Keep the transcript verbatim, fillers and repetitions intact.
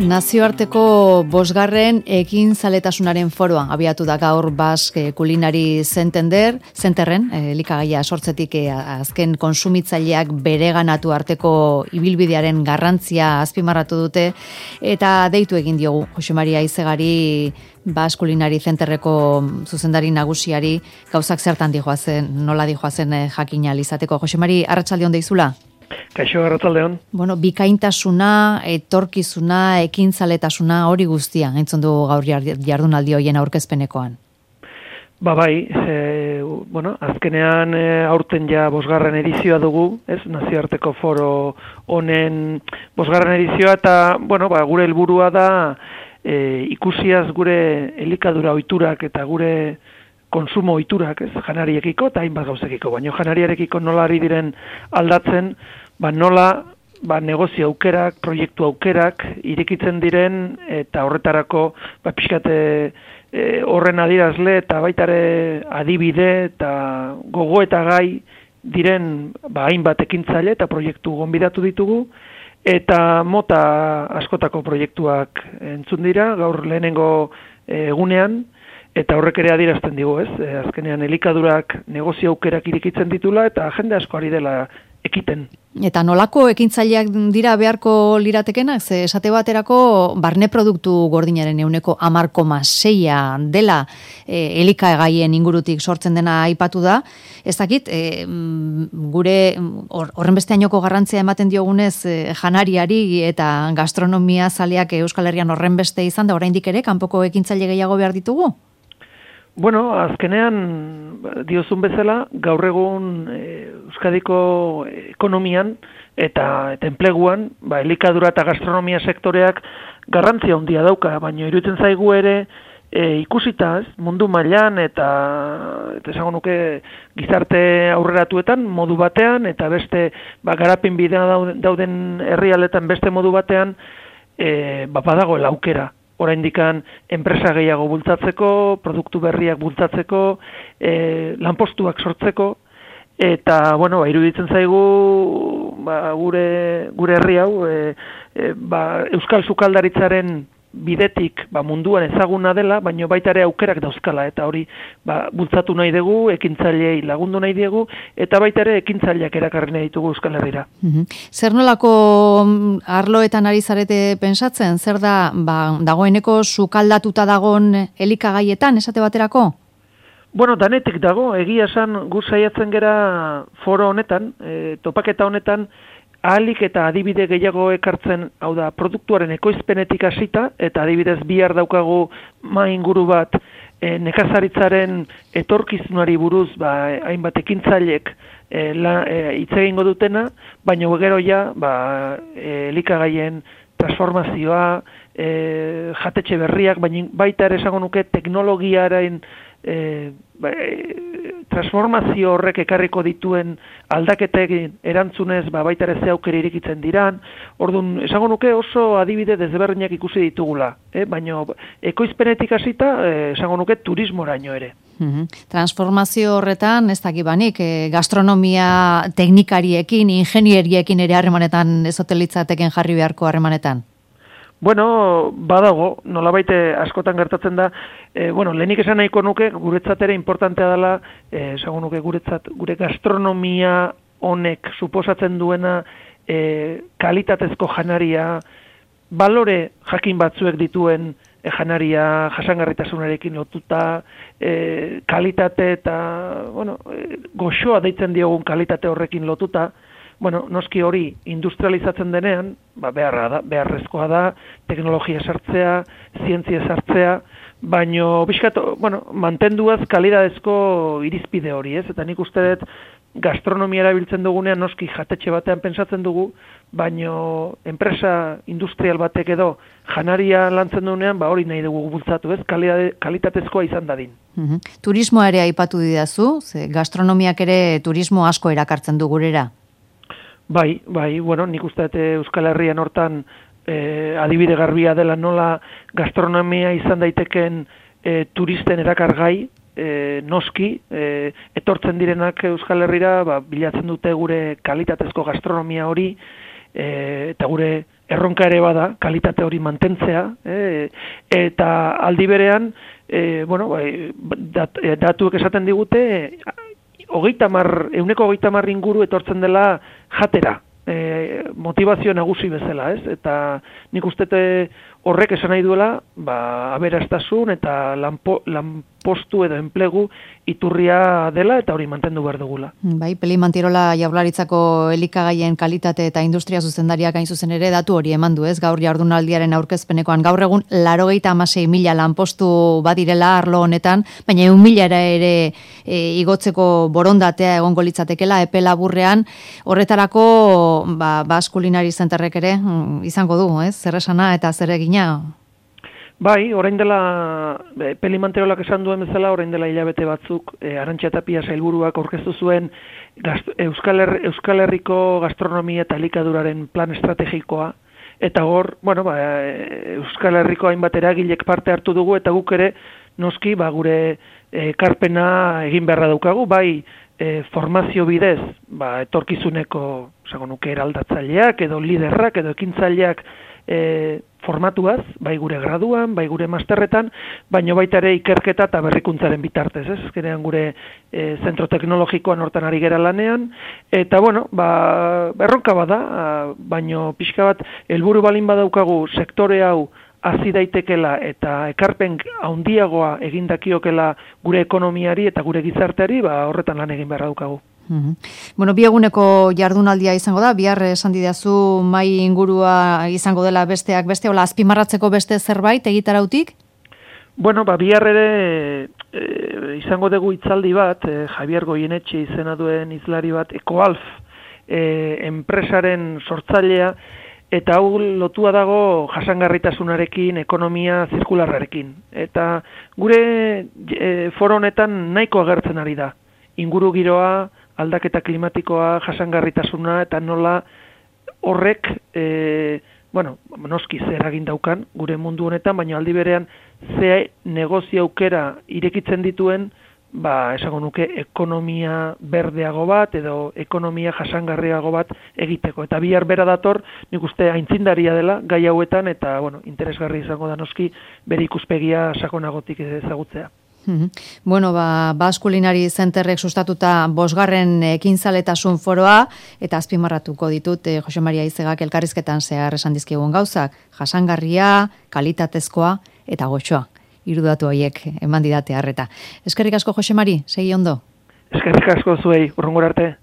Nazioarteko bosgarren ekintzaletasunaren foroa abiatu da gaur Basque Culinary Center, Centerren, elikagaia sortzetik azken konsumitzaileak bereganatu arteko ibilbidearen garrantzia azpimarratu dute eta deitu egin diogu Jose Maria Aizegari Basque Culinary Centerreko zuzendari nagusiari gauzak zertan dijoazen, nola dijoazen jakin ahal izateko. Jose Mari, arratsaldeon deizula? Kaixo, arratsaldeon. Bueno, bikaintasuna, etorkizuna, ekintzaletasuna hori guztia, entzun du gaur jardunaldi hoien aurkezpenekoan. Ba bai, e, bueno, azkenean e, aurten ja bosgarren edizioa dugu, ez, nazioarteko foro honen bosgarren edizioa, eta, bueno, ba, gure helburua da e, ikusiaz gure elikadura ohiturak eta gure konsumo ohiturak, ez, janariekiko eta hainbat gauzekiko, baina janariarekiko nola ari diren aldatzen, ba nola ba negozio aukerak, proiektu aukerak irekitzen diren eta horretarako ba pixkate e, horren adierazle eta baitare adibide eta gogo eta gai diren ba hainbat ekintzaile eta proiektu gonbidatu ditugu eta mota askotako proiektuak entzun dira gaur lehenengo egunean. Eta horrek ere adierazten digu, ez? E, azkenean elikadurak negozio aukerak irekitzen ditula eta jende asko ari dela ekiten. Eta nolako ekintzaileak dira beharko liratekenak? Ze esate baterako barne produktu gordinaren ehuneko hamar koma seia dela e, elikagaien ingurutik sortzen dena aipatu da. Ez dakit, e, gure horren beste ainoko garrantzia ematen diogunez e, janariari eta gastronomia zaleak Euskal Herrian horren beste izan da oraindik ere kanpoko ekintzaile gehiago behar ditugu? Bueno, azkenean diozun bezala, gaur egun e, Euskadiko ekonomian eta, eta enpleguan, ba, elikadura eta gastronomia sektoreak garrantzia handia dauka, baina iruditzen zaigu ere e, ikusita, ez, mundu mailan eta eta esango nuke gizarte aurreratuetan modu batean eta beste ba, garapen bidea dauden herrialdetan beste modu batean e, ba, badagoela aukera. Oraindikan enpresa gehiago bultzatzeko, produktu berriak bultzatzeko, e, lanpostuak sortzeko, eta, bueno, ba, iruditzen zaigu ba, gure, gure herri hau, e, e, ba, Euskal Sukaldaritzaren bidetik ba, munduan ezaguna dela, baina baita ere aukerak dauzkala, eta hori ba, bultzatu nahi dugu, ekintzailei lagundu nahi diegu, eta baita ere ekintzaileak erakarri nahi ditugu Euskal Herrira. Mm-hmm. Zer nolako arloetan ari zarete pensatzen? Zer da, ba, dagoeneko sukaldatuta dagon elikagaietan, esate baterako? Bueno, danetik dago, egia esan gu saiatzen gera foro honetan, e, topaketa honetan, ahalik eta adibide gehiago ekartzen, hau da, produktuaren ekoizpenetik hasita, eta adibidez bihar daukagu mainguru bat e, nekazaritzaren etorkizunari buruz, ba, hainbat ekintzailek e, e, hitz egingo dutena, baina gero ja, ba, e, elikagaien transformazioa, e, jatetxe berriak, baina baita ere esango nuke teknologiaren e, ba, e, transformazio horrek ekarriko dituen aldaketek erantzunez ba, baita ere ze aukera irekitzen diran. Orduan, esango nuke oso adibide desberdinak ikusi ditugula, eh? Baina ekoizpenetik hasita eh, esango nuke turismoraino ere. Mm-hmm. Transformazio horretan, ez dakibanik, eh, gastronomia teknikariekin, ingenieriekin ere harremanetan ezotelitzatekin jarri beharko harremanetan? Bueno, badago, nolabait askotan gertatzen da, e, bueno, lehenik esan nahiko nuke, guretzat ere importantea dela, e, esango nuke guretzat, gure gastronomia honek suposatzen duena e, kalitatezko janaria, balore jakin batzuek dituen e, janaria jasangarritasunarekin lotuta, e, kalitate eta, bueno, e, goxoa deitzen diogun kalitate horrekin lotuta. Bueno, noski hori industrializatzen denean, ba, beharra da, beharrezkoa da, teknologia sartzea, zientzia sartzea, baino, bizkat, bueno, mantenduaz kalidadezko irizpide hori, ez? Eta nik uste dut gastronomia erabiltzen dugunean noski jatetxe batean pentsatzen dugu, baino enpresa industrial batek edo janaria lantzen dugunean, ba hori nahi dugu bultzatu, ez? Kalidade, kalitatezkoa izan dadin. Mm-hmm. Turismoa ere aipatu didazu, ze gastronomiak ere turismo asko erakartzen du gurera. Bai, bai, bueno, nik uste dut Euskal Herrian hortan e, adibide garbia dela nola gastronomia izan daiteken e, turisten erakargai, e, noski, e, etortzen direnak Euskal Herrira, ba, bilatzen dute gure kalitatezko gastronomia hori, e, eta gure erronka ere bada, kalitate hori mantentzea, e, eta aldi berean, e, bueno, bai, dat, datuek esaten digute, hogeita mar, euneko hogeita mar inguru etortzen dela jatera, e, motivazio nagusi bezala, ez? Eta nik ustete horrek esan nahi duela, ba, aberastasun eta lanpo, lanpostu edo enplegu iturria dela eta hori mantendu behar dugula. Bai, Peli Mantirola Jaurlaritzako elikagaien kalitate eta industria zuzendariak hain zuzen ere datu hori eman du, ez? Gaur jardunaldiaren aurkezpenekoan gaur egun laurogeita hamasei mila lanpostu badirela arlo honetan, baina ehun milara ere e, igotzeko borondatea egongo litzatekeela epe laburrean, horretarako ba Basque Culinary Centerrek ere izango du, ez? Zer esana eta zer egina. Bai, orain dela, e, Peli Manterolak esan duen bezala, orain dela hilabete batzuk, e, Arantxa Tapia sailburuak aurkeztu zuen gazt, Euskal, Her, Euskal Herriko gastronomia eta elikaduraren plan estrategikoa, eta hor, bueno, ba, Euskal Herriko hainbat eragilek parte hartu dugu, eta guk ere, noski, ba, gure ekarpena egin beharra daukagu, bai, e, formazio bidez, ba, etorkizuneko, esango nuke, eraldatzaileak, edo liderrak, edo ekintzaileak, e, formatuaz, bai gure graduan, bai gure masterretan, baino baita ere ikerketa eta berrikuntzaren bitartez, ez? Azkenean gure e, zentro teknologikoan hortan ari gera lanean, eta bueno, ba, erronka bada, baino pixka bat, helburu balin badaukagu sektore hau hazi daitekela eta ekarpen handiagoa egin dakiokela gure ekonomiari eta gure gizarteari, ba, horretan lan egin beharra daukagu. Mm-hmm. Bueno, bi eguneko jardunaldia izango da, bihar esan didazu mai ingurua izango dela besteak beste, hola azpimarratzeko beste zerbait egitarautik? Bueno, ba, bihar ere e, izango dugu hitzaldi bat, e, Javier Goienetxe izena duen hizlari bat, Ecoalf e, enpresaren sortzailea, eta hau lotua dago jasangarritasunarekin, ekonomia zirkularrarekin. Eta gure e, foro honetan nahiko agertzen ari da. Inguru giroa, aldaketa klimatikoa, jasangarritasuna, eta nola horrek, e, bueno, noski zer eragin daukan gure mundu honetan, baina aldi berean ze negozio aukera irekitzen dituen, ba, esango nuke, ekonomia berdeago bat, edo ekonomia jasangarriago bat egiteko. Eta bihar bera dator, nik uste aintzindaria dela, gai hauetan, eta, bueno, interesgarri izango da noski, bere ikuspegia sakonagotik ezagutzea. Bueno, ba, Basque Culinary Centerrek sustatuta bosgarren ekintzaletasun foroa, eta azpimarratuko ditut eh, Jose Maria Izegak elkarrizketan zehar esan dizkigun gauzak, jasangarria, kalitatezkoa eta goxoa. Hiru datu horiek eman didate harreta. Eskerrik asko Jose Mari, segi ondo. Eskerrik asko zuei, urrungor arte.